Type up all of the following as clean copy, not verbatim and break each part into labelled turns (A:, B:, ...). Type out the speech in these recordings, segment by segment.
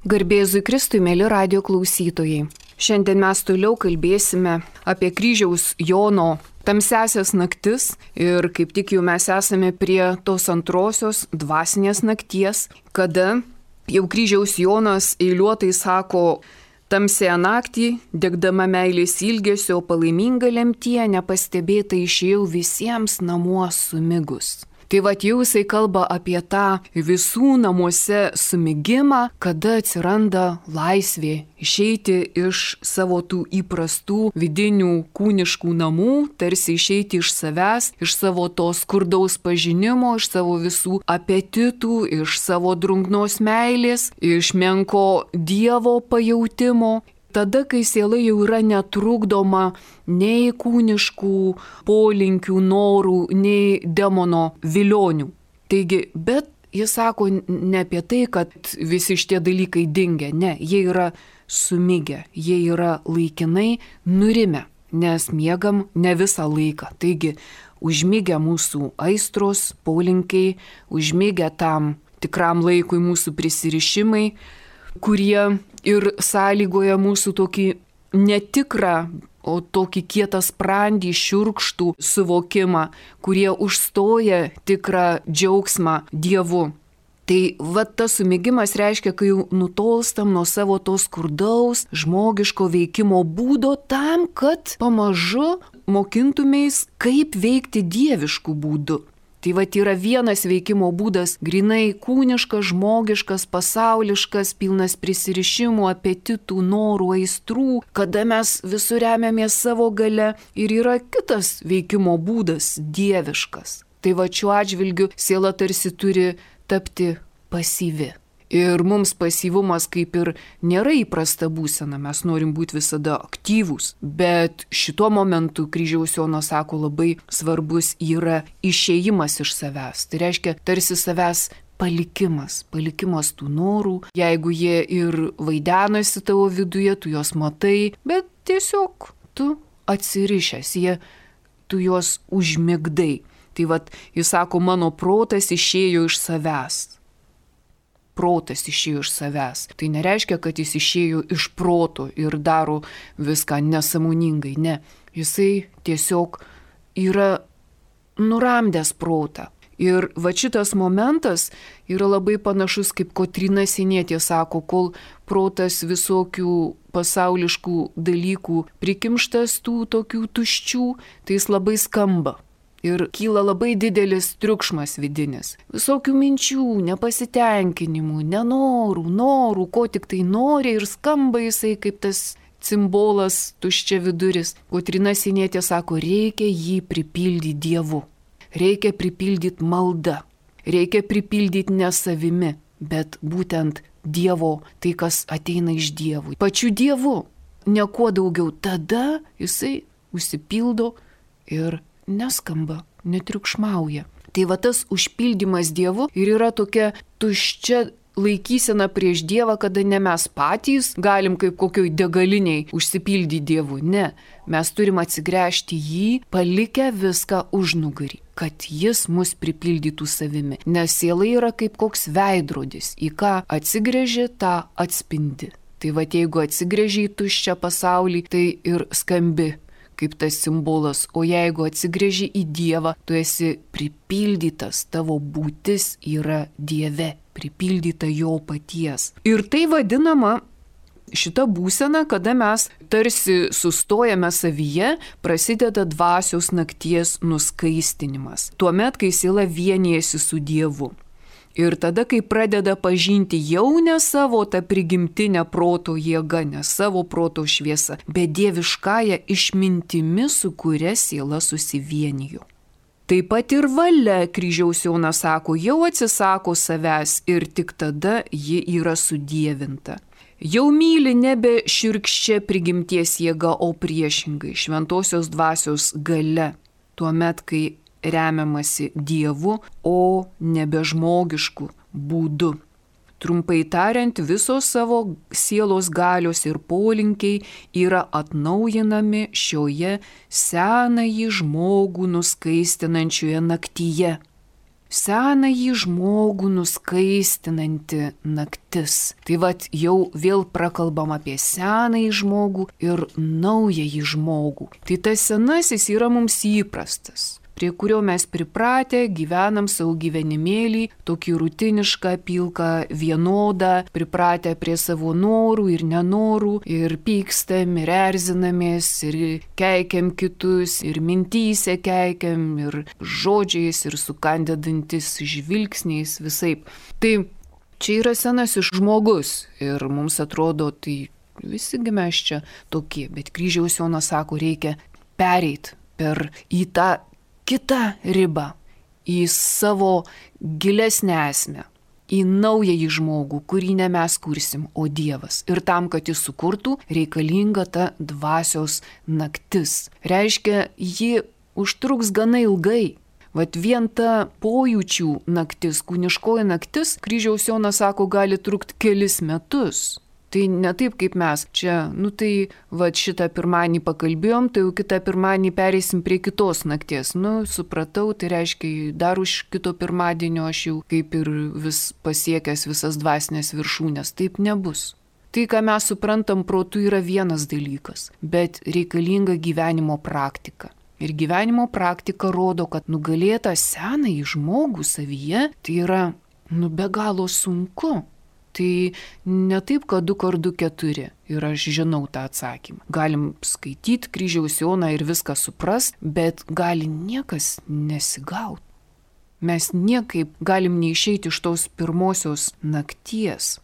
A: Garbė Jėzui Kristui, mėly radijo klausytojai. Šiandien mes toliau kalbėsime apie kryžiaus Jono tamsiasias naktis ir kaip tik jau mes esame prie tos antrosios dvasinės nakties, kada jau kryžiaus Jonas eiliuotai sako: tamsiąją naktį, degdama meilės ilgesio, palaiminga lemtie, nepastebėta išėjau visiems namuos sumigus. Tai va jau jisai kalba apie tą visų namuose sumigimą, kada atsiranda laisvė išeiti iš savo tų įprastų vidinių kūniškų namų, tarsi išeiti iš savęs, iš savo to skurdaus pažinimo, iš savo visų apetitų, iš savo drungnos meilės, iš menko Dievo pajautimo. Tada, kai siela jau yra netrukdoma nei kūniškų polinkių, norų, nei demono vilionių. Taigi, bet jis sako ne apie tai, kad visi šitie dalykai dingia, ne, jie yra sumigę, jie yra laikinai nurimę, nes miegam ne visą laiką. Taigi, užmigę mūsų aistros, polinkiai, užmigę tam tikram laikui mūsų prisirišimai, kurie ir sąlygoja mūsų tokį netikrą, o tokį kietą sprandį, šiurkštų suvokimą, kurie užstoja tikrą džiaugsmą Dievu. Tai va tas sumigimas reiškia, kai jau nutolstam nuo savo to skurdaus, žmogiško veikimo būdo tam, kad pamažu mokintumės, kaip veikti dieviškų būdų. Tai va yra vienas veikimo būdas, grinai kūniškas, žmogiškas, pasauliškas, pilnas prisirišimų, apetitų, norų, aistrų, kada mes visur remiamės savo gale, ir yra kitas veikimo būdas, dieviškas. Tai va šiuo atžvilgiu siela tarsi turi tapti pasyvi. Ir mums pasyvumas kaip ir nėra įprasta būsena, mes norim būti visada aktyvūs, bet šituo momentu kryžiaus Jonas sako labai svarbus yra išėjimas iš savęs. Tai reiškia tarsi savęs palikimas tų norų, jeigu jie ir vaidenasi tavo viduje, tu juos matai, bet tiesiog tu atsirišęs, tu juos užmigdai. Tai vat jis sako, mano protas išėjo iš savęs. Protas išėjo iš savęs. Tai nereiškia, kad jis išėjo iš proto ir daro viską nesąmoningai. Ne, jisai tiesiog yra nuramdęs protą. Ir va šitas momentas yra labai panašus, kaip Kotryna Sienietė sako, kol protas visokių pasauliškų dalykų prikimštas tų tokių tuščių, tai jis labai skamba. Ir kyla labai didelis triukšmas vidinis. Visokių minčių, nepasitenkinimų, norų, ko tik tai nori, ir skamba jisai kaip tas cimbolas tuščia viduris. Kotryna Sienietė sako, reikia jį pripildyti Dievu. Reikia pripildyti malda. Reikia pripildyti ne savimi, bet būtent Dievo, tai kas ateina iš Dievo. Pačiu Dievu, ne kuo daugiau. Tada jisai užsipildo ir neskamba, netriukšmauja. Tai va tas užpildymas Dievu ir yra tokia tuščia laikysena prieš Dievą, kada ne mes patys galim kaip kokioj degaliniai užsipildyti Dievu. Ne, mes turim atsigręžti jį, palikę viską užnugarį, kad jis mus pripildytų savimi. Nes siela yra kaip koks veidrodis, į ką atsigręži, tą atspindi. Tai va jeigu atsigręži į tuščią pasaulį, tai ir skambi kaip tas simbolas, o jeigu atsigręži į Dievą, tu esi pripildytas, tavo būtis yra Dieve, pripildyta jo paties. Ir tai vadinama šita būsena, kada mes tarsi sustojame savyje, prasideda dvasios nakties nuskaistinimas. Tuomet, kai siela vienijasi su Dievu. Ir tada, kai pradeda pažinti jau ne savo tą prigimtinę proto jėgą, ne savo proto šviesą, bet dieviškąją išmintimi, su kuria siela susivienijo. Taip pat ir valia, kryžiaus Jonas sako, jau atsisako savęs ir tik tada ji yra sudievinta. Jau myli nebe šiurkščia prigimties jėga, o priešingai šventosios dvasios galia. Tuomet, kai remiamasi Dievu, o nebe žmogišku būdu. Trumpai tariant, visos savo sielos galios ir polinkiai yra atnaujinami šioje senąjį žmogų nuskaistinančioje naktyje. senąjį žmogų nuskaistinanti naktis. Tai vat jau vėl prakalbam apie senąjį žmogų ir naująjį žmogų. Tai tas senasis yra mums įprastas, prie kurio mes pripratę, gyvenam savo gyvenimėlį, tokį rutinišką, pilką, vienodą, pripratę prie savo norų ir nenorų, ir pykstam, ir erzinamės, ir keikiam kitus, ir mintyse keikiam, ir žodžiais, ir sukandę dantis žvilgsniais, visaip. Tai čia yra senasis žmogus ir mums atrodo, tai visigi mes čia tokie, bet kryžiaus Jonas sako, reikia pereit į tą kitą ribą, į savo gilesnę esmę, į naująjį žmogų, kurį ne mes kursim, o Dievas. Ir tam, kad jis sukurtų, reikalinga ta dvasios naktis. Reiškia, ji užtruks gana ilgai. Vat vien ta pojūčių naktis, kūniškoji naktis, kryžiaus Jonas sako, gali trukti kelis metus. Tai ne taip kaip mes. Čia, tai šitą pirmadienį pakalbėjom, tai jau kitą pirmadienį pereisim prie kitos nakties. Supratau, tai reiškia, dar už kito pirmadienio aš jau kaip ir vis pasiekęs visas dvasinės viršūnės. Taip nebus. Tai, ką mes suprantam protu, yra vienas dalykas, bet reikalinga gyvenimo praktika. Ir gyvenimo praktika rodo, kad nugalėtą senąjį žmogų savyje, tai yra, be galo sunku. Tai ne taip, kad 2x2 4 ir aš žinau tą atsakymą. Galim skaityti kryžiaus Joną ir viską suprast, bet gali niekas nesigauti. Mes niekaip galim neišeiti iš tos pirmosios nakties.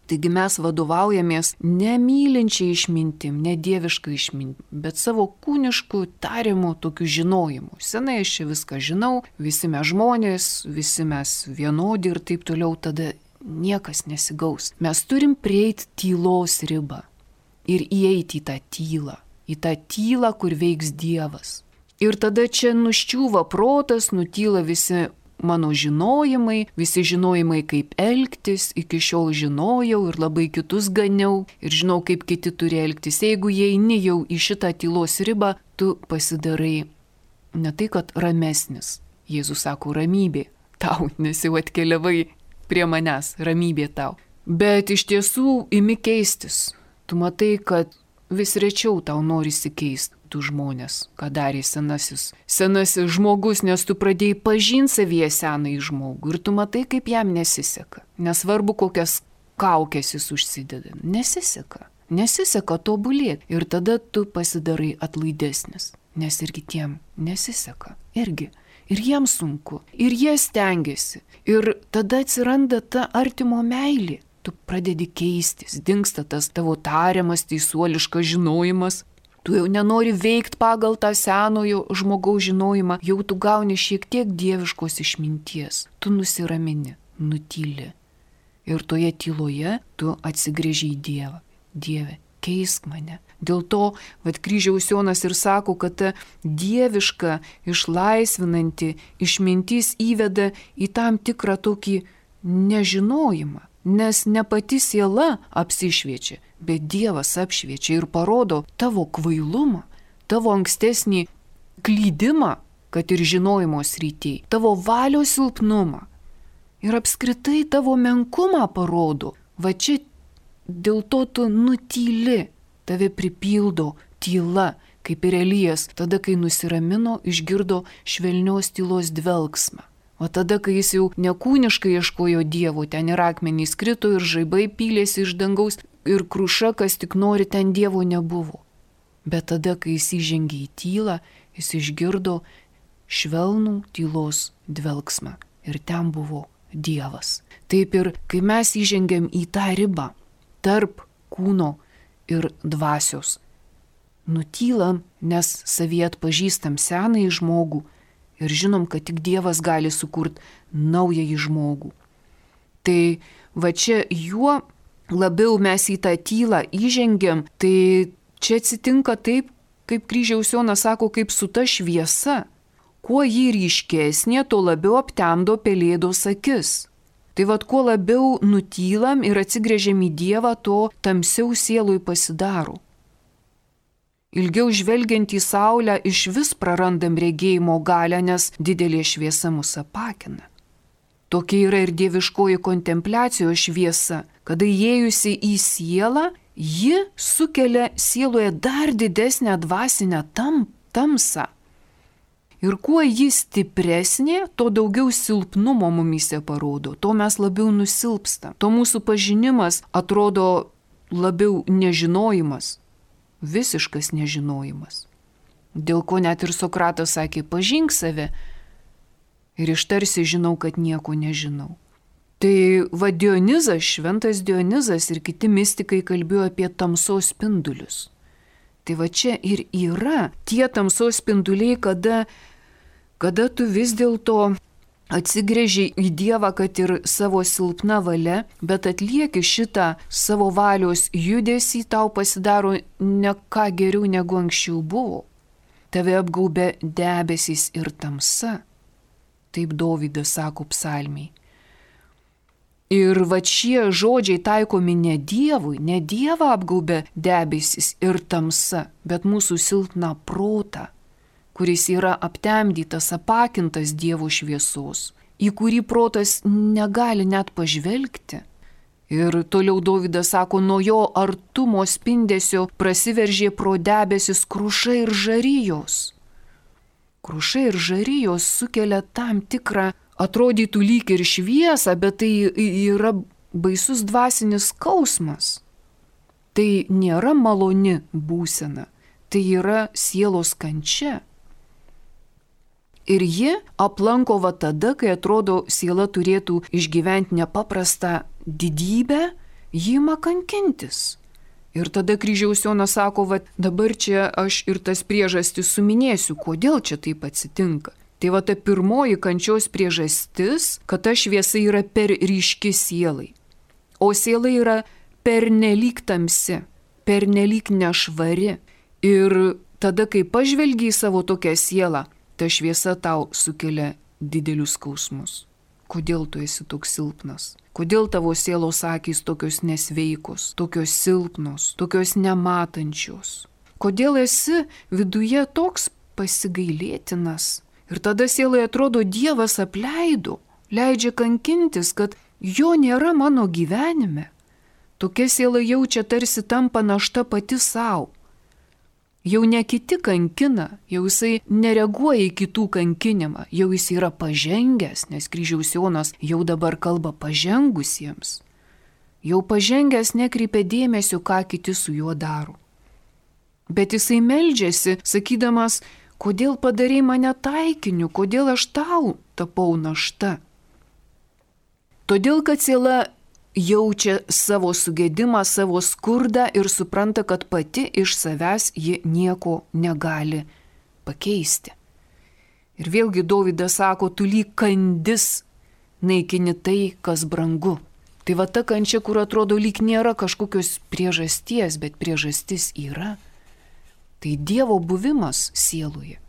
A: Taigi mes vadovaujamės nemylinčiai išmintim, ne dieviškai išmintim, bet savo kūniškų tariamų tokių žinojimų. Senai aš čia viską žinau, visi mes žmonės, visi mes vienodi ir taip toliau, tada niekas nesigaus. Mes turim prieiti tylos ribą ir įeiti į tą tylą, kur veiks Dievas. Ir tada čia nuščiūva protas, nutyla visi mano žinojimai, visi žinojimai, kaip elgtis, iki šiol žinojau ir labai kitus ganiau ir žinau, kaip kiti turi elgtis. Jeigu eini jau į šitą tylos ribą, tu pasidarai ne tai, kad ramesnis. Jėzus sako, ramybė tau, nes jau atkeliavai prie manęs, ramybė tau. Bet iš tiesų imi keistis. Tu matai, kad vis rečiau tau norisi keisti tų žmonės, ką darė senasis žmogus, nes tu pradėjai pažinti savyje senąjį žmogų ir tu matai, kaip jam nesiseka. Nesvarbu, kokias kaukes jis užsideda. Nesiseka tobulėti. Ir tada tu pasidarai atlaidesnis, nes ir kitiem nesiseka. Irgi. Ir jiems sunku. Ir jie stengiasi. Ir tada atsiranda ta artimo meilė. Tu pradedi keistis, dingsta tas tavo tariamas, teisuoliškas žinojimas. Tu jau nenori veikti pagal tą senojo žmogaus žinojimą, jau tu gauni šiek tiek dieviškos išminties. Tu nusiramini, nutyli. Ir toje tyloje tu atsigręži į Dievą. Dieve, keisk mane. Dėl to, kryžiaus Jonas ir sako, kad ta dieviška, išlaisvinanti išmintis įveda į tam tikrą tokį nežinojimą. Nes ne pati siela apsišviečia, bet Dievas apšviečia ir parodo tavo kvailumą, tavo ankstesnį klydimą, kad ir žinojimo srityje, tavo valios silpnumą ir apskritai tavo menkumą parodo. Va čia dėl to tu nutyli, tave pripildo tyla, kaip ir Elijas, tada, kai nusiramino, išgirdo švelnios tylos dvelksmą. O tada, kai jis jau nekūniškai ieškojo Dievo, ten ir akmenys krito, ir žaibai pylėsi iš dangaus, ir kruša, kas tik nori, ten Dievo nebuvo. Bet tada, kai jis įžengė į tylą, jis išgirdo švelnų tylos dvelksmą. Ir ten buvo Dievas. Taip ir, kai mes įžengėm į tą ribą tarp kūno ir dvasios, nutylam, nes savyje atpažįstam senąjį žmogų, ir žinom, kad tik Dievas gali sukurti naująjį žmogų. Tai va čia juo labiau mes į tą tylą įžengiam, tai čia atsitinka taip, kaip kryžiaus Jonas sako, kaip su ta šviesa. Kuo ji ryškesnė, tuo labiau aptemdo pelėdos akis. Tai vad, kuo labiau nutylam ir atsigręžiam į Dievą, to tamsiau sielui pasidaro. Ilgiau žvelgiant į saulę iš vis prarandam regėjimo galią, nes didelė šviesa mus apakina. Tokia yra ir dieviškoji kontempliacijos šviesa, kada įėjusi į sielą, ji sukelia sieloje dar didesnę dvasinę tamsą. Ir kuo ji stipresnė, to daugiau silpnumo mumyse parodo, to mes labiau nusilpstam, to mūsų pažinimas atrodo labiau nežinojimas, visiškas nežinojimas. Dėl ko net ir Sokratas sakė, pažink save ir ištarsi žinau, kad nieko nežinau. Tai Dionizas, šventas Dionizas ir kiti mistikai kalbėjo apie tamsos spindulius. Tai čia ir yra tie tamsos spinduliai, kada tu vis dėlto atsigręži į Dievą, kad ir savo silpna valia, bet atlieki šitą savo valios judesį, tau pasidaro ne ką geriau negu anksčiau buvo. Tave apgaubia debesys ir tamsa. Taip Dovydas sako psalmiai. Ir šie žodžiai taikomi ne Dievui, ne Dievą apgaubia debesys ir tamsa, bet mūsų silpną protą, kuris yra aptemdytas, apakintas Dievo šviesos, į kurį protas negali net pažvelgti. Ir toliau Dovydas sako, nuo jo artumo spindesio prasiveržė pro debesis kruša ir žarijos. Kruša ir žarijos sukelia tam tikrą, atrodytų lyg ir šviesą, bet tai yra baisus dvasinis skausmas. Tai nėra maloni būsena, tai yra sielos kančia. Ir ji aplanko tada, kai atrodo siela turėtų išgyventi nepaprastą didybę, ji ima kankintis. Ir tada kryžiaus Jonas sako, dabar čia aš ir tas priežastis suminėsiu, kodėl čia taip atsitinka. Tai ta pirmoji kančios priežastis, kad ta šviesa yra per ryški sielai. O siela yra pernelyg tamsi, pernelyg nešvari. Ir tada, kai pažvelgi į savo tokią sielą, ta šviesa tau sukelia didelius skausmus. Kodėl tu esi toks silpnas? Kodėl tavo sielos akys tokios nesveikos, tokios silpnos, tokios nematančios? Kodėl esi viduje toks pasigailėtinas? Ir tada sielai atrodo, Dievas apleido, leidžia kankintis, kad jo nėra mano gyvenime. Tokia siela jaučia tarsi tampa našta pati savo. Jau ne kiti kankina, jau jisai nereaguoja į kitų kankinimą, jau jis yra pažengęs, nes kryžiaus Jonas jau dabar kalba pažengusiems. Jau pažengęs nekreipia dėmesio, ką kiti su juo daro. Bet jisai meldžiasi, sakydamas, kodėl padarei mane taikiniu, kodėl aš tau tapau našta. Todėl, kad siela jaučia savo sugėdimą, savo skurdą ir supranta, kad pati iš savęs ji nieko negali pakeisti. Ir vėlgi Dovydas sako, tu lyg kandis naikini tai, kas brangu. Tai ta kančia, kur atrodo lyg nėra kažkokios priežasties, bet priežastis yra. Tai Dievo buvimas sieloje,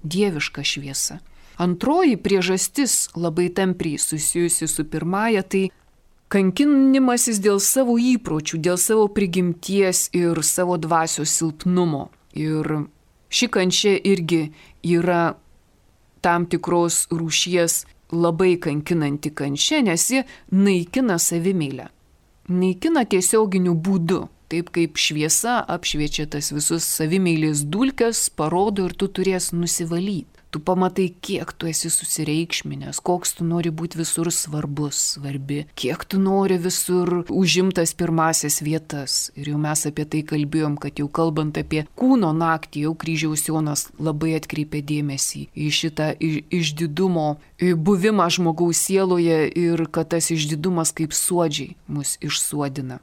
A: dieviška šviesa. Antroji priežastis labai tampriai susijusi su pirmąja, tai kankinimasis dėl savo įpročių, dėl savo prigimties ir savo dvasios silpnumo. Ir ši kančia irgi yra tam tikros rūšies labai kankinanti kančia, nes ji naikina savimeilę. Naikina tiesioginiu būdu. Taip kaip šviesa apšviečia tas visus savimeilės dulkes, parodo ir tu turės nusivalyti. Tu pamatai, kiek tu esi susireikšminęs, koks tu nori būti visur svarbus, svarbi, kiek tu nori visur užimtas pirmasias vietas. Ir jau mes apie tai kalbėjom, kad jau kalbant apie kūno naktį, jau kryžiaus Jonas labai atkreipė dėmesį į šitą išdidumo buvimą žmogaus sieloje ir kad tas išdidumas kaip suodžiai mus išsuodina.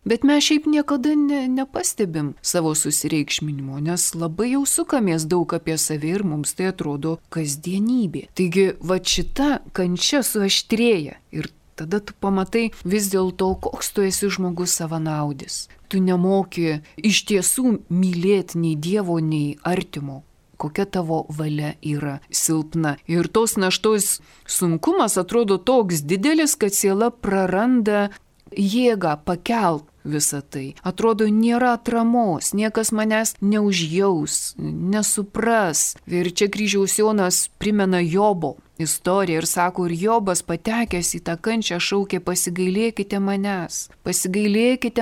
A: Bet mes šiaip niekada nepastebim savo susireikšminimo, nes labai jau sukamės daug apie save ir mums tai atrodo kasdienybė. Taigi, šita kančia suaštrėja ir tada tu pamatai vis dėlto, koks tu esi žmogus savanaudis. Tu nemoki iš tiesų mylėti nei Dievo, nei artimo. Kokia tavo valia yra silpna. Ir tos naštos sunkumas atrodo toks didelis, kad siela praranda jėgą pakelt visą tai. Atrodo, nėra atramos, niekas manęs neužjaus, nesupras. Ir čia kryžiaus Jonas primena Jobo istoriją ir sako, ir Jobas patekęs į tą kančią šaukė, pasigailėkite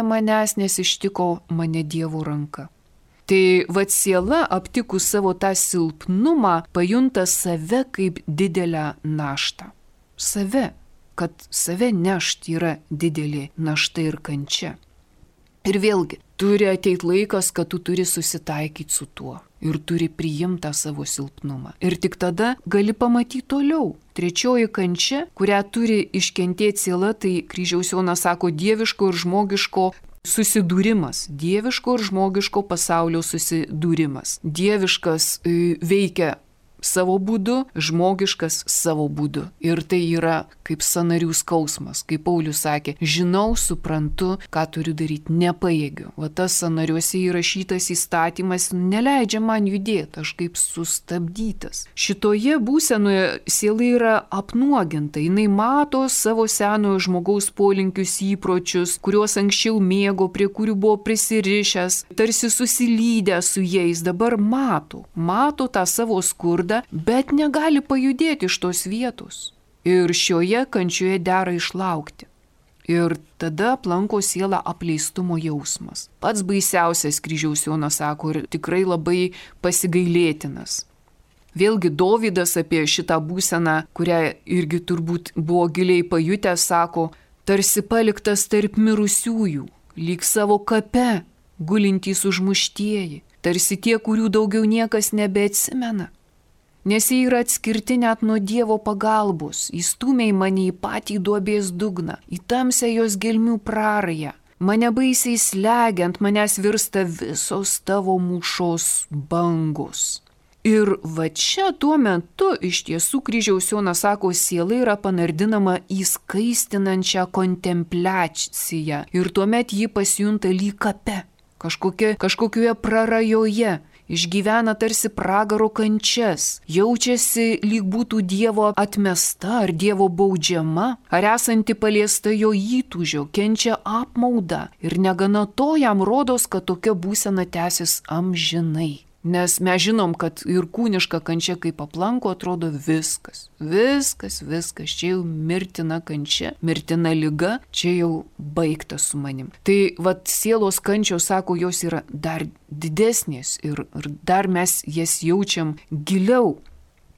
A: manęs, nes ištiko mane Dievo ranka. Tai siela aptikus savo tą silpnumą pajunta save kaip didelę naštą. Kad save nešti yra didelė našta ir kančia. Ir vėlgi, turi ateiti laikas, kad tu turi susitaikyti su tuo ir turi priimti tą savo silpnumą. Ir tik tada gali pamatyti toliau. Trečioji kančia, kurią turi iškentėti siela, tai Kryžiaus Jonas sako dieviško ir žmogiško susidūrimas. Dieviško ir žmogiško pasaulio susidūrimas. Dieviškas veikia savo būdu, žmogiškas savo būdu. Ir tai yra kaip sąnarių skausmas. Kaip Paulius sakė, žinau, suprantu, ką turiu daryti, nepajėgiu. Tas sąnariuose įrašytas įstatymas neleidžia man judėti, aš kaip sustabdytas. Šitoje būsenoje siela yra apnuoginta, jinai mato savo senojo žmogaus polinkius, įpročius, kuriuos anksčiau mėgo, prie kurių buvo prisirišęs, tarsi susilydęs su jais, dabar mato tą savo skurdą, bet negali pajudėti iš tos vietos. Ir šioje kančioje dera išlaukti. Ir tada aplanko sielą apleistumo jausmas. Pats baisiausias, Kryžiaus Jonas sako, ir tikrai labai pasigailėtinas. Vėlgi Dovydas apie šitą būseną, kurią irgi turbūt buvo giliai pajutęs, sako, tarsi paliktas tarp mirusiųjų, lyg savo kape, gulintys užmuštieji, tarsi tie, kurių daugiau niekas nebeatsimena. Nes jie yra atskirti net nuo Dievo pagalbos, įstūmė mane į patį duobės dugną, į tamsią jos gelmių prarają. Mane baisiai slegiant, manęs virsta visos tavo mūšos bangos. Ir čia tuo metu iš tiesų Kryžiaus Jonas sako, siela yra panardinama į skaistinančią kontempliaciją. Ir tuomet ji pasijunta lyg kape, kažkokioje prarajoje. Išgyvena tarsi pragaro kančias, jaučiasi lyg būtų Dievo atmesta ar Dievo baudžiama, ar esanti paliesta jo įtūžio, kenčia apmaudą ir negana to jam rodos, kad tokia būsena tęsis amžinai. Nes mes žinom, kad ir kūniška kančia kaip aplanko atrodo viskas, čia jau mirtina kančia, mirtina liga, čia jau baigta su manim. Tai sielos kančios, sako, jos yra dar didesnės ir dar mes jas jaučiam giliau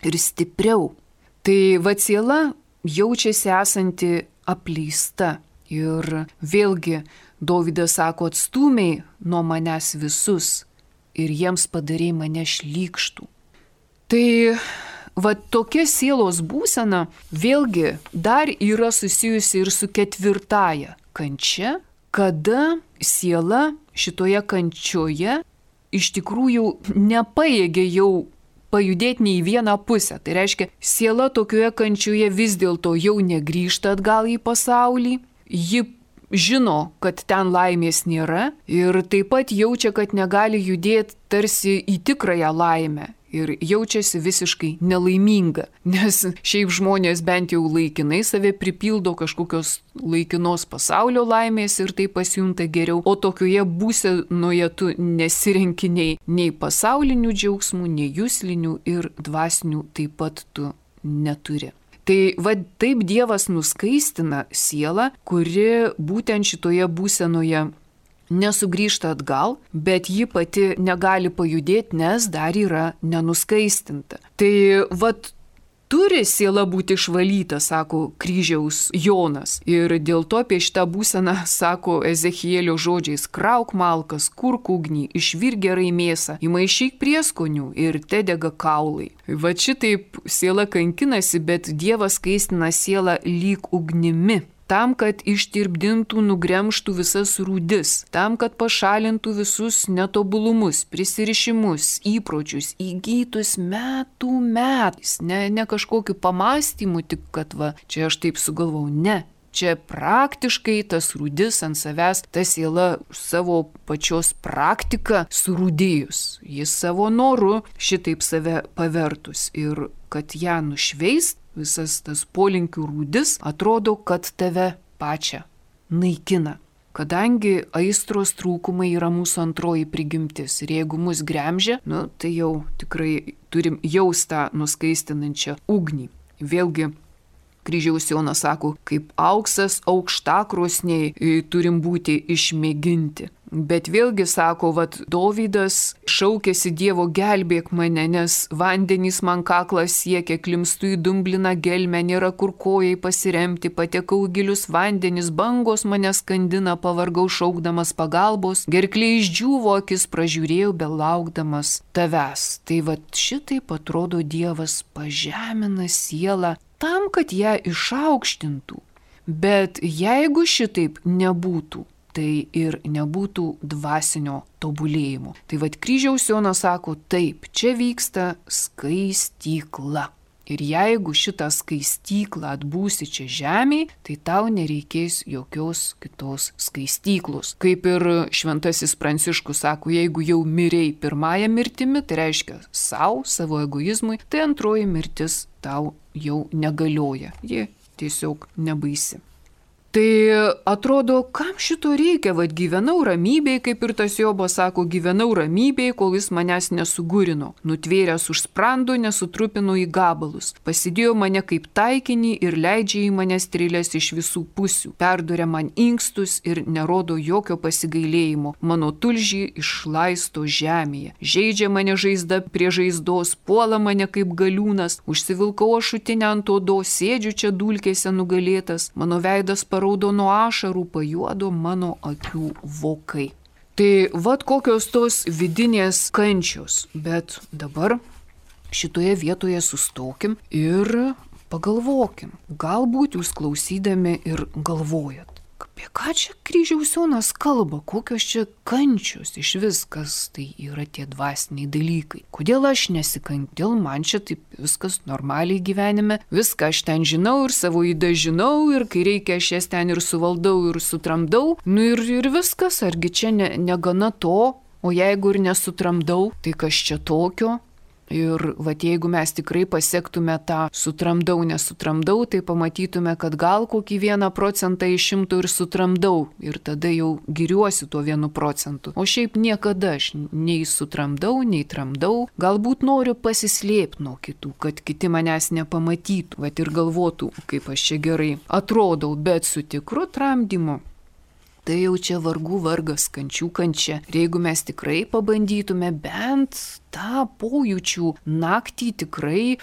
A: ir stipriau. Tai siela jaučiasi esanti apleista ir vėlgi Dovydas sako, atstūmei nuo manęs visus ir jiems padarė mane šlykštų. Tai tokia sielos būsena vėlgi dar yra susijusi ir su ketvirtaja kančia, kada siela šitoje kančioje iš tikrųjų nepajėgia jau pajudėti nei į vieną pusę. Tai reiškia, siela tokioje kančioje vis dėlto jau negrįžta atgal į pasaulį, ji žino, kad ten laimės nėra ir taip pat jaučia, kad negali judėti tarsi į tikrąją laimę ir jaučiasi visiškai nelaiminga, nes šiaip žmonės bent jau laikinai save pripildo kažkokios laikinos pasaulio laimės ir tai pasijunta geriau, o tokioje būsenoje tu nesirenki nei pasaulinių džiaugsmų, nei juslinių ir dvasinių taip pat tu neturi. Tai taip Dievas nuskaistina sielą, kuri būtent šitoje būsenoje nesugrįžta atgal, bet ji pati negali pajudėti, nes dar yra nenuskaistinta. Tai turi siela būti išvalyta, sako Kryžiaus Jonas. Ir dėl to apie šitą būseną sako Ezechielio žodžiais, krauk malkas, kurk ugnį, išvirk gerai mėsą, įmaišyk prieskonių ir tedega kaulai. Šitaip siela kankinasi, bet Dievas skaistina sielą lyg ugnimi. Tam, kad ištirpdintų, nugremštų visas rūdis, tam, kad pašalintų visus netobulumus, prisirišimus, įpročius, įgytus metų metais. Ne kažkokiu pamastymu, tik kad čia aš taip sugalvau, ne. Čia praktiškai tas rūdis ant savęs, ta siela savo pačios praktiką surūdėjus. Jis savo noru šitaip save pavertus ir kad ją nušveist, visas tas polinkių rūdis atrodo, kad tave pačią naikina. Kadangi aistros trūkumai yra mūsų antroji prigimtis ir jeigu mus gremžia, tai jau tikrai turim jaust tą nuskaistinančią ugnį. Vėlgi, kryžiaus Jonas sako, kaip auksas aukštakrosniai turim būti išmėginti. Bet vėlgi sako, Dovydas šaukėsi Dievo gelbėk mane, nes vandenys man kaklą siekia, klimstu į dumbliną gelmę, nėra kur kojai pasiremti, patekau gilius vandenis, bangos mane skandina, pavargau šaukdamas pagalbos, gerklė išdžiūvo, akis pražiūrėjau, belaukdamas tavęs. Tai šitaip atrodo Dievas pažemina sielą tam, kad ją išaukštintų. Bet jeigu šitaip nebūtų, tai ir nebūtų dvasinio tobulėjimo. Tai kryžiaus Jonas sako, taip, čia vyksta skaistykla. Ir jeigu šitą skaistyklą atbūsi čia žemėje, tai tau nereikės jokios kitos skaistyklos. Kaip ir šventasis Pranciškus sako, jeigu jau mirei pirmąją mirtimi, tai reiškia savo egoizmui, tai antroji mirtis tau jau negalioja. Ji tiesiog nebaisi. Tai atrodo, kam šito reikia, gyvenau ramybėj, kaip ir tas Jobas sako, gyvenau ramybėj, kol jis manęs nesugurino, nutvėręs už sprando, nesutrupino į gabalus, pasidėjo mane kaip taikinį ir leidžia į mane strėlės iš visų pusių, perduria man inkstus ir nerodo jokio pasigailėjimo, mano tulžį išlaisto žemėje, žaidžia mane žaizda prie žaizdos, puola mane kaip galiūnas, užsivilkau ašutinę ant odos, sėdžiu čia dulkėse nugalėtas, mano veidas paraudo nuo ašarų, pajuodo mano akių vokai. Tai kokios tos vidinės kančios. Bet dabar šitoje vietoje sustokim ir pagalvokim. Galbūt jūs klausydami ir galvojat, apie ką čia kryžiaus Jonas kalba, kokios čia kančios iš viskas, tai yra tie dvasiniai dalykai. Kodėl aš nesikančiu, dėl man čia taip viskas normaliai gyvenime, viską aš ten žinau ir savo įdą žinau ir kai reikia aš jas ten ir suvaldau ir sutramdau, ir viskas, argi čia negana to, o jeigu ir nesutramdau, tai kas čia tokio? Ir jeigu mes tikrai pasiektume tą sutramdau, nesutramdau, tai pamatytume, kad gal kokį 1% iš 100 ir sutramdau ir tada jau giriuosi tuo 1%. O šiaip niekada aš nei sutramdau, nei tramdau, galbūt noriu pasislėpti nuo kitų, kad kiti manęs nepamatytų, ir galvotų, kaip aš čia gerai atrodau, bet su tikru tramdymu. Tai jau čia vargų vargas, kančių kančia. Ir jeigu mes tikrai pabandytume bent tą pojūčių naktį tikrai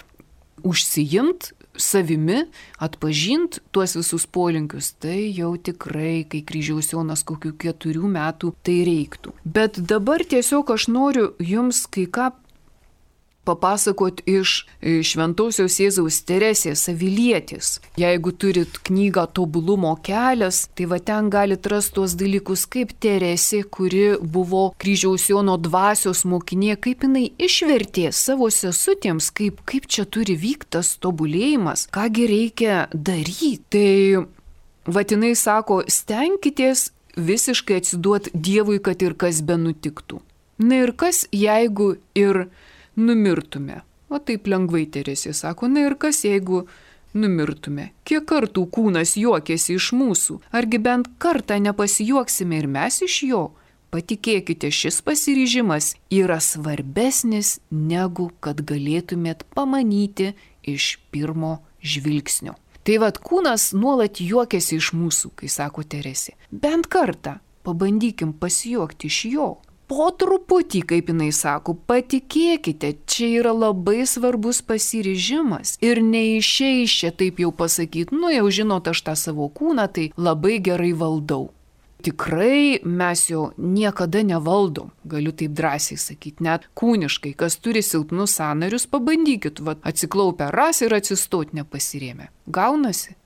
A: užsiimt savimi, atpažint tuos visus polinkius, tai jau tikrai, kai kryžiaus Jonas kokių 4 metų, tai reiktų. Bet dabar tiesiog aš noriu jums kai ką papasakot iš šventosios Jėzaus Teresės Avilietės. Jeigu turit knygą Tobulumo kelias, tai ten galit rasti tuos dalykus, kaip Teresė, kuri buvo kryžiaus Jono dvasios mokinė, kaip jinai išvertė savo sesutėms, kaip čia turi vykti tas tobulėjimas, kągi reikia daryti. Tai jinai sako, stenkitės visiškai atsiduoti Dievui, kad ir kas benutiktų. Na ir kas, jeigu ir numirtume. O taip lengvai Teresė sako, na ir kas, jeigu numirtume? Kiek kartų kūnas juokėsi iš mūsų? Argi bent kartą nepasijuoksime ir mes iš jo? Patikėkite, šis pasiryžimas yra svarbesnis, negu kad galėtumėt pamanyti iš pirmo žvilgsnio. Tai kūnas nuolat juokėsi iš mūsų, kai sako Teresė. Bent kartą pabandykim pasijuokti iš jo. Po truputį, kaip jinai sako, patikėkite, čia yra labai svarbus pasiryžimas ir neišeis čia taip jau pasakyti, jau žinot, aš tą savo kūną tai labai gerai valdau. Tikrai mes jo niekada nevaldom, galiu taip drąsiai sakyti, net kūniškai, kas turi silpnus sąnarius, pabandykit, atsiklaupę ras ir atsistot nepasirėmę. Gaunasi?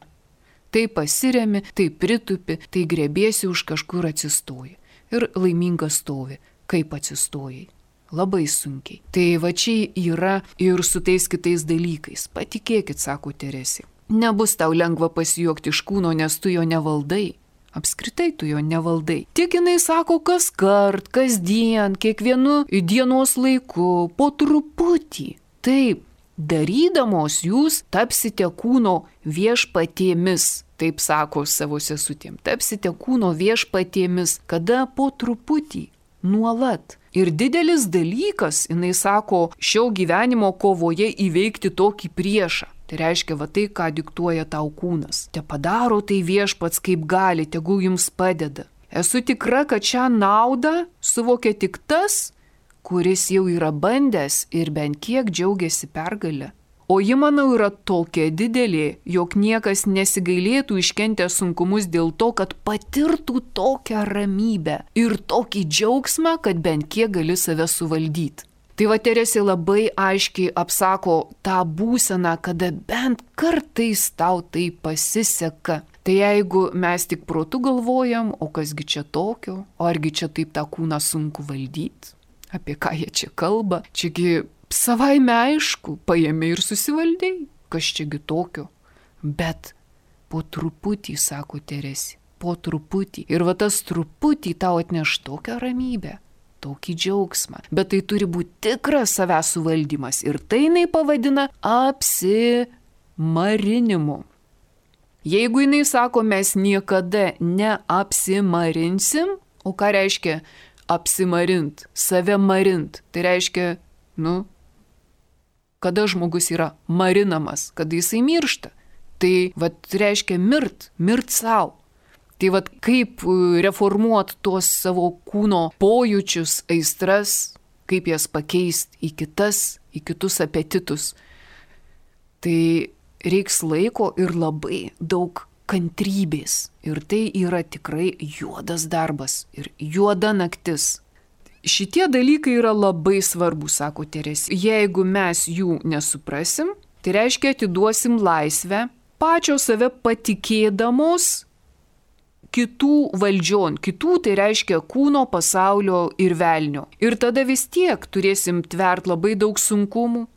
A: Tai pasiremi, tai pritupi, tai grėbėsi už kažkur atsistoji ir laimingas stovi. Kaip atsistojai. Labai sunkiai. Tai čia yra ir su tais kitais dalykais. Patikėkit, sako Teresė. Nebus tau lengva pasijuokti iš kūno, nes tu jo nevaldai. Apskritai tu jo nevaldai. Tik jinai sako kaskart, kasdien, kiekvienu dienos laiku, po truputį. Taip, darydamos jūs tapsite kūno viešpatėmis. Taip sako savo sesutėm. Tapsite kūno viešpatėmis. Kada? Po truputį. Nuolat. Ir didelis dalykas, jinai sako, šio gyvenimo kovoje įveikti tokį priešą. Tai reiškia, va tai, ką diktuoja tau kūnas. Te padaro tai Viešpats kaip gali, tegul jums padeda. Esu tikra, kad šią naudą suvokia tik tas, kuris jau yra bandęs ir bent kiek džiaugiasi pergalę. O ji, manau, yra tokia didelė, jog niekas nesigailėtų iškentę sunkumus dėl to, kad patirtų tokią ramybę ir tokį džiaugsmą, kad bent kiek gali save suvaldyti. Tai va Teresė labai aiškiai apsako tą būseną, kada bent kartais tau tai pasiseka. Tai jeigu mes tik protu galvojam, o kasgi čia tokio, o argi čia taip tą kūną sunku valdyti, apie ką jie čia kalba, čiagi savaime aišku, paėmė ir susivaldėjai, kas čiagi tokio. Bet po truputį, sako Teresė, po truputį. Ir va tas truputį tau atneš tokią ramybę, tokį džiaugsmą. Bet tai turi būti tikras savęs suvaldymas. Ir tai jinai pavadina apsimarinimu. Jeigu jinai sako, mes niekada neapsimarinsim, o ką reiškia apsimarint, save marint, tai reiškia, kada žmogus yra marinamas, kada jisai miršta. Tai reiškia mirt savo. Tai kaip reformuoti tuos savo kūno pojūčius, aistras, kaip jas pakeisti į kitus apetitus. Tai reiks laiko ir labai daug kantrybės. Ir tai yra tikrai juodas darbas ir juoda naktis. Šitie dalykai yra labai svarbus, sako Teresė. Jeigu mes jų nesuprasim, tai reiškia atiduosim laisvę, pačio save patikėdamos kitų valdžion. Kitų tai reiškia kūno, pasaulio ir velnio. Ir tada vis tiek turėsim tvert labai daug sunkumų,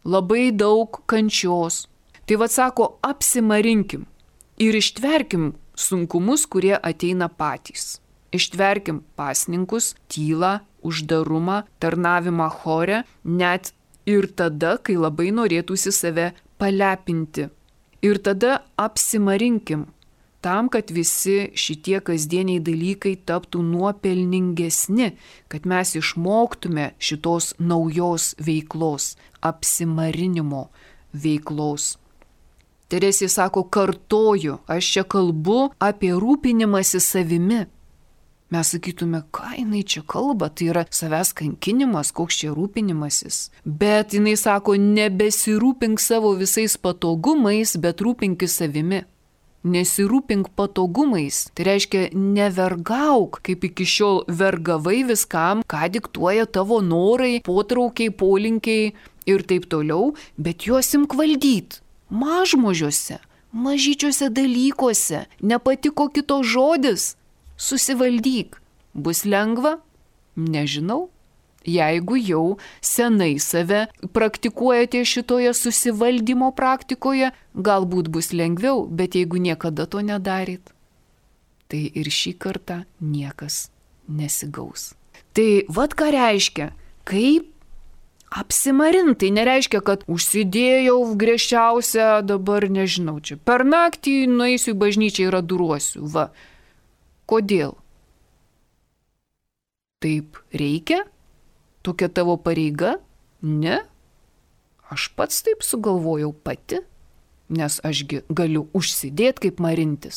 A: labai daug kančios. Tai sako, apsimarinkim ir ištverkim sunkumus, kurie ateina patys. Ištverkim pasninkus, tylą, uždarumą, tarnavimą chore, net ir tada, kai labai norėtųsi save palepinti. Ir tada apsimarinkim tam, kad visi šitie kasdieniai dalykai taptų nuopelningesni, kad mes išmoktume šitos naujos veiklos, apsimarinimo veiklos. Teresė sako, kartoju, aš čia kalbu apie rūpinimąsi savimi. Mes sakytume, ką jinai čia kalba, tai yra savęs kankinimas, koks čia rūpinimasis. Bet jinai sako, nebesirūpink savo visais patogumais, bet rūpinkis savimi. Nesirūpink patogumais, tai reiškia nevergauk, kaip iki šiol vergavai viskam, ką diktuoja tavo norai, potraukiai, polinkiai ir taip toliau, bet juos imk valdyt. Mažmožiuose, mažyčiuose dalykuose, nepatiko kito žodis, susivaldyk. Bus lengva? Nežinau. Jeigu jau senai save praktikuojate šitoje susivaldymo praktikoje, galbūt bus lengviau, bet jeigu niekada to nedaryt, tai ir šį kartą niekas nesigaus. Tai ką reiškia, kaip apsimarint, tai nereiškia, kad užsidėjau griežčiausią, dabar nežinau, čia per naktį nueisiu į bažnyčią ir adoruosiu. Kodėl? Taip reikia? Tokia tavo pareiga? Ne? Aš pats taip sugalvojau pati, nes ašgi galiu užsidėti kaip marintis.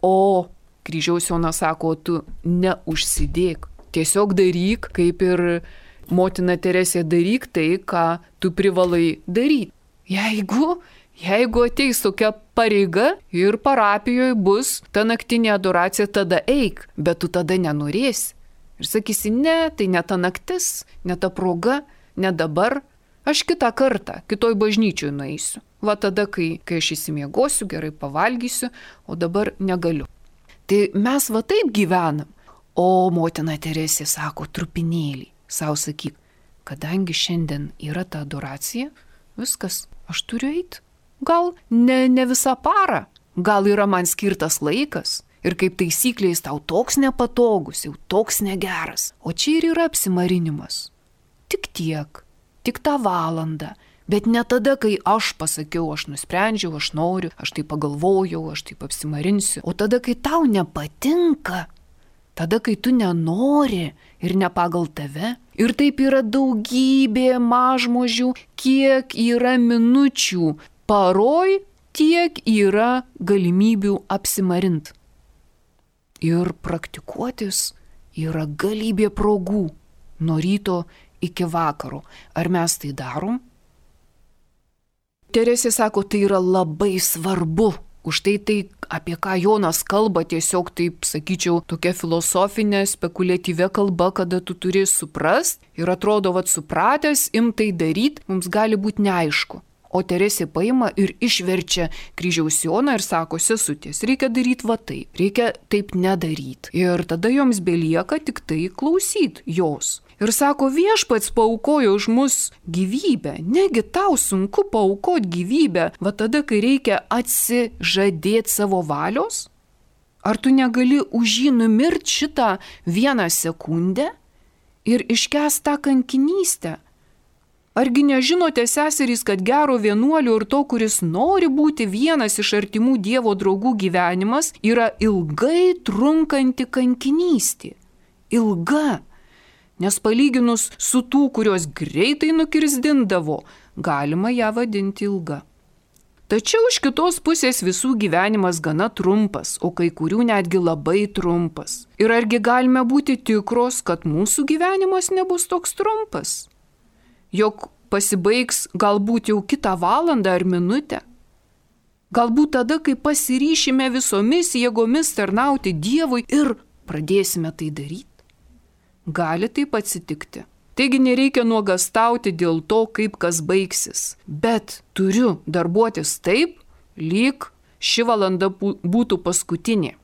A: O Kryžiaus Jonas sako, tu neužsidėk, tiesiog daryk, kaip ir motina Teresė, daryk tai, ką tu privalai daryti. Jeigu ateis tokia pareiga ir parapijoje bus ta naktinė adoracija, tada eik, bet tu tada nenorėsi. Ir sakysi, ne, tai ne ta naktis, ne ta proga, ne dabar, aš kitą kartą, kitoj bažnyčioj nueisiu. Tada, kai aš įsimiegosiu, gerai pavalgysiu, o dabar negaliu. Tai mes taip gyvenam. O motina Teresė sako, trupinėlį, savo sakyk, kadangi šiandien yra ta adoracija, viskas, aš turiu eiti. Gal ne visą parą, gal yra man skirtas laikas. Ir kaip taisyklė jis tau toks nepatogus, jau toks negeras. O čia ir yra apsimarinimas. Tik tiek, tik tą valandą. Bet ne tada, kai aš pasakiau, aš nusprendžiau, aš noriu, aš taip pagalvojau, aš taip apsimarinsiu. O tada, kai tau nepatinka, tada, kai tu nenori ir ne pagal tave. Ir taip yra daugybė mažmožių, kiek yra minučių paroj, tiek yra galimybių apsimarint. Ir praktikuotis yra galybė progų nuo ryto iki vakaro. Ar mes tai darom? Teresė sako, tai yra labai svarbu. Už tai, apie ką Jonas kalba, tiesiog taip, sakyčiau, tokia filosofinė, spekuliatyvia kalba, kada tu turi suprast ir atrodo, supratęs, imtai daryti, mums gali būti neaišku. O Teresė paima ir išverčia kryžiaus Joną ir sako, sesutės, reikia daryti taip, reikia taip nedaryti. Ir tada joms belieka tik tai klausyti jos. Ir sako, viešpats paaukojo už mus gyvybę. Negi tau sunku paaukoti gyvybę, tada, kai reikia atsižadėti savo valios? Ar tu negali už jį numirti šitą 1 sekundę ir iškęsti tą kankinystę? Argi nežinote, seserys, kad gero vienuolio ir to, kuris nori būti vienas iš artimų Dievo draugų gyvenimas, yra ilgai trunkanti kankinystė. Ilga. Nes palyginus su tų, kurios greitai nukirsdindavo, galima ją vadinti ilga. Tačiau iš kitos pusės visų gyvenimas gana trumpas, o kai kurių netgi labai trumpas. Ir argi galime būti tikros, kad mūsų gyvenimas nebus toks trumpas? Jog pasibaigs galbūt jau kitą valandą ar minutę? Galbūt tada, kai pasiryšime visomis jėgomis tarnauti Dievui ir pradėsime tai daryti? Gali taip atsitikti. Taigi nereikia nuogastauti dėl to, kaip kas baigsis. Bet turiu darbuotis taip, lyg ši valanda būtų paskutinė.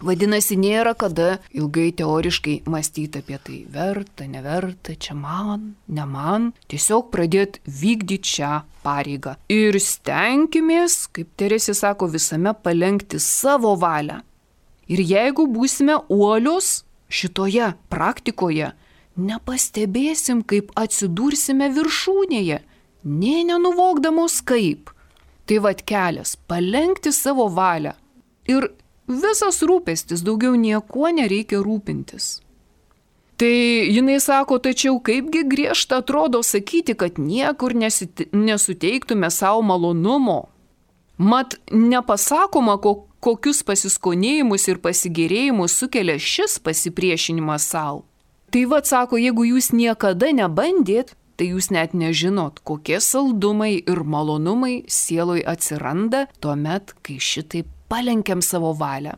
A: Vadinasi, nėra kada ilgai teoriškai mąstyti apie tai. Verta, neverta, čia man, ne man. Tiesiog pradėti vykdyti šią pareigą. Ir stenkimės, kaip Teresė sako, visame palenkti savo valią. Ir jeigu būsime uolios, šitoje praktikoje nepastebėsim, kaip atsidursime viršūnėje, nė nenuvokdamos kaip. Tai kelias - palenkti savo valią. Ir visas rūpestis, daugiau niekuo nereikia rūpintis. Tai jinai sako, tačiau kaipgi griežta atrodo sakyti, kad niekur nesuteiktume savo malonumo. Mat nepasakoma, kokius pasiskonėjimus ir pasigėrėjimus sukelia šis pasipriešinimas savo. Tai sako, jeigu jūs niekada nebandėt, tai jūs net nežinot, kokie saldumai ir malonumai sieloj atsiranda tuomet, kai šitaip palenkiam savo valią.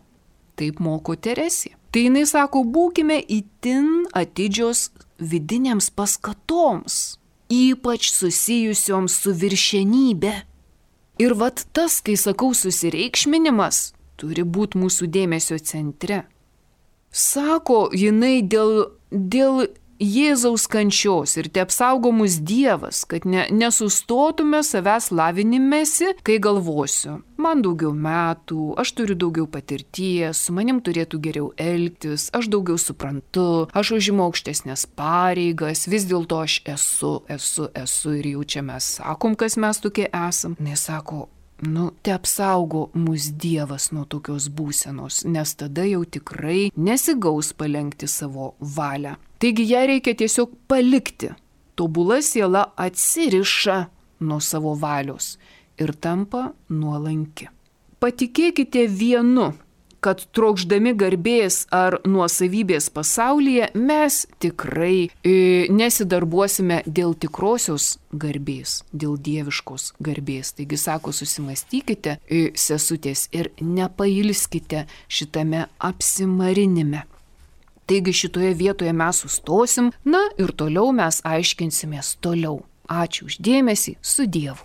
A: Taip moko Teresė. Tai jinai sako, būkime itin atidžios vidinėms paskatoms, ypač susijusioms su viršenybė. Ir tas, kai sakau susireikšminimas, turi būti mūsų dėmesio centre. Sako jinai dėl Jėzaus kančios ir te apsaugo mus Dievas, kad nesustotume savęs lavinimėsi, kai galvosiu, man daugiau metų, aš turiu daugiau patirties, su manim turėtų geriau elgtis, aš daugiau suprantu, aš užimu aukštesnės pareigas, vis dėlto aš esu ir jau čia mes sakom, kas mes tokie esam. Nesako, te apsaugo mus Dievas nuo tokios būsenos, nes tada jau tikrai nesigaus palenkti savo valią. Taigi ją reikia tiesiog palikti. Tobula siela atsiriša nuo savo valios ir tampa nuolanki. Patikėkite vienu, kad trokšdami garbės ar nuosavybės pasaulyje mes tikrai nesidarbuosime dėl tikrosios garbės, dėl dieviškos garbės. Taigi sako, susimastykite, sesutės, ir nepailskite šitame apsimarinime. Taigi šitoje vietoje mes sustosim, ir toliau mes aiškinsimės toliau. Ačiū už dėmesį, su Dievu.